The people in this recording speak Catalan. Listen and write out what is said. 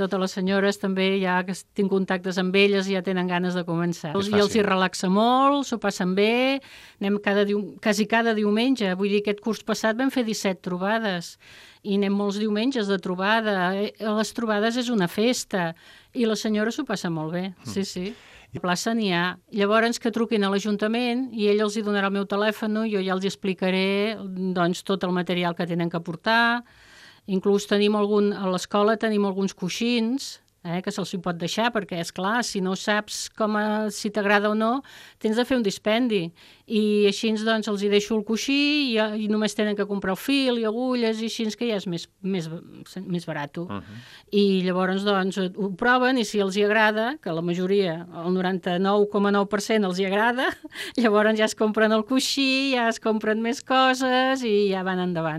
Totes les senyores també, ja que tinc contactes amb elles, ja tenen ganes de començar. I els hi relaxa molt, s'ho passen bé, anem quasi cada diumenge. Vull dir, aquest curs passat vam fer 17 trobades i anem molts diumenges de trobada. A les trobades és una festa i les senyores s'ho passen molt bé, sí. A plaça n'hi ha. Llavors que truquin a l'Ajuntament i ell els hi donarà el meu telèfon, jo ja els explicaré doncs, tot el material que tenen que portar. Inclús a l'escola tenim alguns coixins que se'ls pot deixar, perquè, és clar, si no saps si t'agrada o no, tens de fer un dispendi. I així doncs, els hi deixo el coixí i només tenen que comprar el fil i agulles i així que ja és més barat. I llavors doncs, ho proven i si els hi agrada, que la majoria, el 99,9% els hi agrada, llavors ja es compren el coixí, ja es compren més coses i ja van endavant.